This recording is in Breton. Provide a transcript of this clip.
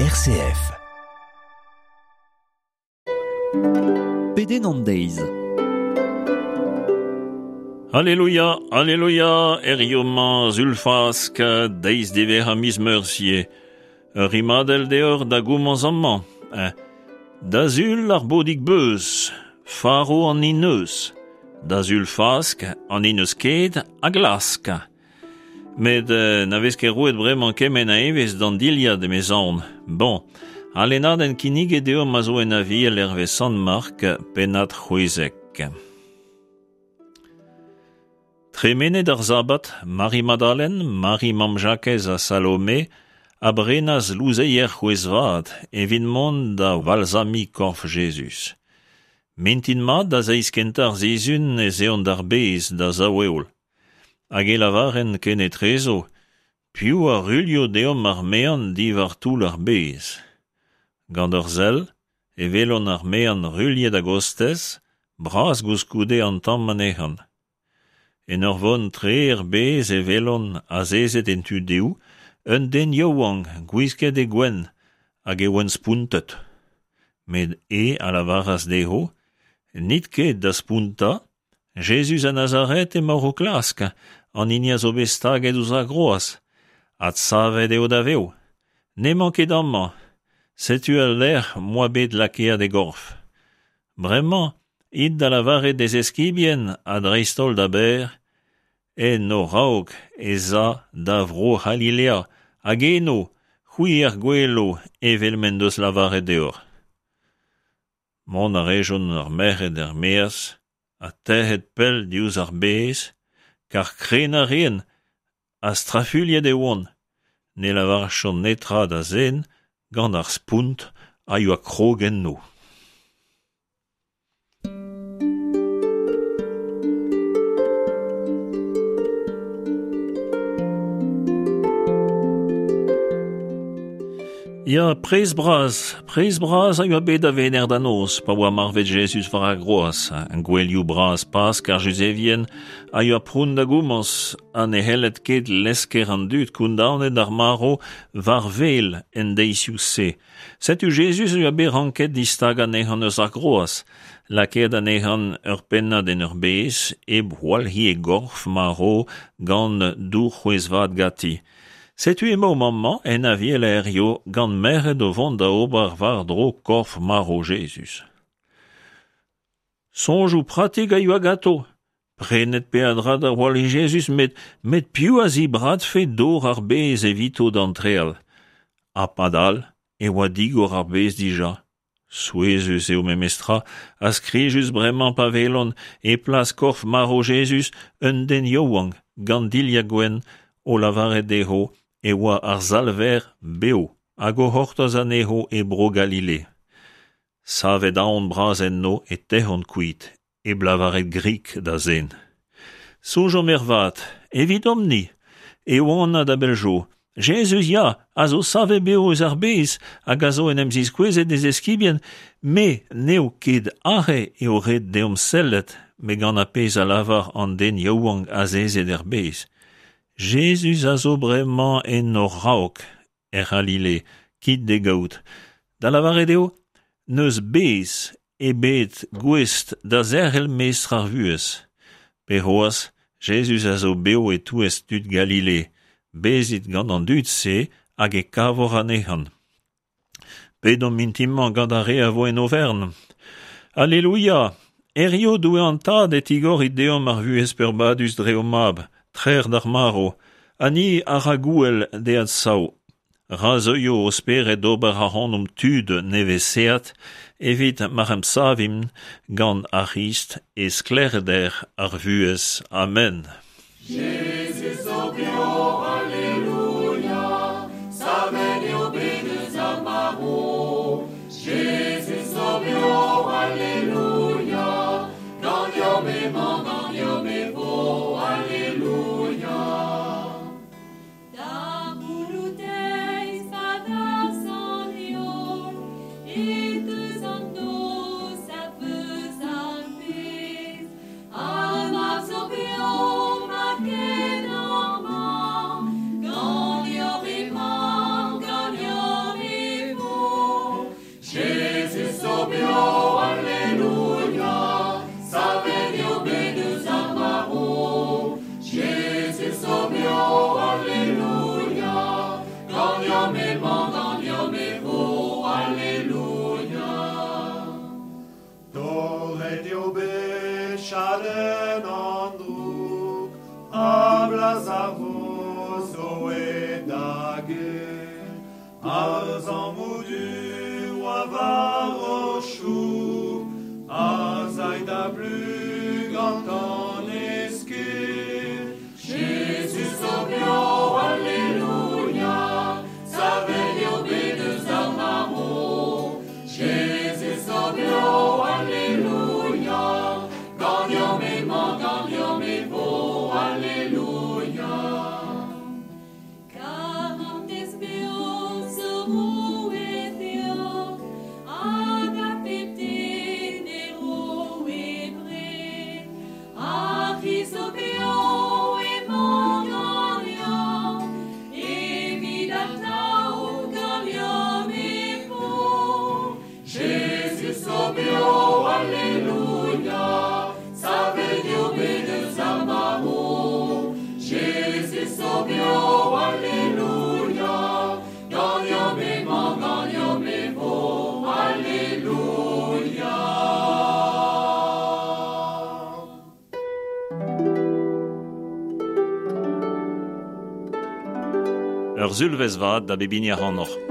RCF. Pedenn an deiz. Alleluia, alleluia, hiziv-mañ Sul Fask, deiz diwezhañ miz Meurzh ivez. Ur rimadell deoc'h da gomañs amañ. Da Sul ar bodig beuz, faro an hini 'neus. Da Sul Fask, an hini 'neus ket a glask. Met na vez ket roet bremañ kement a evezh d'an dilhad emezaon. Bon, al lennadenn kinniget deomp a zo en Aviel hervez Sant Mark, pennad 16. Tremenet ar sabad, Mari Madalen, Mari mamm Jakez ha Salome a brenas louzeier c'hwezh-vat evit mont da valzamiñ korf Jezuz. Mintin mat da zeiz kentañ ar sizhun ez eont d'ar bez da sav-heol. Hag e lavarent kenetrezo, Piv a ruilho deomp ar mean diwar toull ar bez? Gant ur sell e welont ar mean ruilhet a-gostez, bras koulskoude an tamm anezhañ. En ur vont tre er bez e welont, azezet en tu dehou, un den yaouank gwisket e gwenn, hag e oant spontet. Met eñ a lavaras dezho, N'it ket da spontañ, Jezuz a Nazaret emaoc'h o klask, an hini a zo bet staget ouzh ar groaz. Adsavet eo da vev. N'emañ ket amañ. Setu al lec'h m'oa bet lakaet e gorf. Bremañ, it da lavaret d'e zeskibien ha dreist-holl da Bêr, En ho raok ez a da Vro-C'halilea, hag eno, c'hwi er gwelo evel m'en deus lavaret deoc'h. Mont a rejont ar merc'hed er-maez ha tec'het pell diouzh ar bez, kar krenañ a raent ha strafuilhet e oant. Ne lavarjont netra da zen gant ar spont a yoa krog enno. Ya, prez bras, prez bras a yoa bet da Wener da noz pa oa marvet Jezuz war ar groaz. Gouelioù bras Pask ar Juzevien a yoa pront da gomañs ha ne c'helled ket lesker an dud kondaonet d'ar marv war wel en deizioù-se. Setu Jezuz a yoa bet ranket distagañ anezhañ eus ar groaz, lakaet anezhañ ur pennad en ur bez, hep gwalc'hiñ e gorf marv gant dour c'hwezh-vat ganti. Setu emaomp amañ en Aviel hiziv gant merc'hed o vont da ober war-dro korf marv Jezuz. Soñjoù pratik a yoa ganto, prenet peadra da walc'hiñ Jezuz met met piv a zibradfe dor ar bez evito d'antreal? Ha padal e oa digor ar bez dija. Souezhus eo memestra ha skrijus bremañ pa welont e plas korf marv Jezuz un den yaouank gant dilhad gwenn o lavaret dezho e oa ar Salver bev hag o c'hortoz anezho e Bro-Galile. Savet aon bras enno e tec'hont kuit hep lavaret grik da zen. Soñjomp ervat, evidomp-ni, eo anat a-bell zo, Jezuz ya, a zo savet bev eus ar bez hag a zo en em ziskouezet d'e zeskibien, me n'eo ket aze eo ret deomp sellet, met gant ar pezh a lavar an den yaouank azezet er bez. Jezuz a zo bremañ en hor raok, er C'halile, kit d'e gaout. Da lavaret eo, n'eus bez ebet gouest da zerc'hel mestr ar vuhez. Pe c'hoazh, Jezuz a zo bev e-touez tud Galile. Bezit gant an dud-se hag e kavoc'h anezhañ. Pedomp mintin-mañ gant ar re a vo en overn. Alleluia! Hiziv, Doue an Tad, e tigorit deomp ar vuhez peurbadus dre ho Mab, trec'h d'ar marv, ha ni a ra gouel d'e adsav. Ra zeuio ho spered d'ober ac'hanomp tud nevesaet evit ma emsavimp gant ar C'hrist e sklaerder ar vuhez. Amen. Jezuz zo bev, alleluia, savet eo bet eus ar marv. Jezuz zo bev, alleluia, ganeomp emañ, ganeomp e vo, alleluia. Da c'houloù-deiz pa darzh an heol e teus an noz a veuz ar bez. Ar mab zo bev, ma ken Lazaro zo aet da get, Ar zammoù du oa war o choug, A zay da blu gantan e sked. Jezuz zo bev, Alleluia, Savet eo bet eus ar marv. Jezuz zo bev, Alleluia, Ganeomp emañ, ganeomp e vo, Alleluia. Karantez bev zo roet deoc'h, hag a pep den e ro e bred. Ar C'hrist zo bev emañ ganeomp, evit atav ganeomp e vo. Jezuz zo bev, Alleluia, Savet eo bet eus ar marv. Jezuz zo bev, Alleluia, Ganeomp emañ, ganeomp e vo, Alleluia. Ur sulvezh vat da bep hini ac'hanoc'h.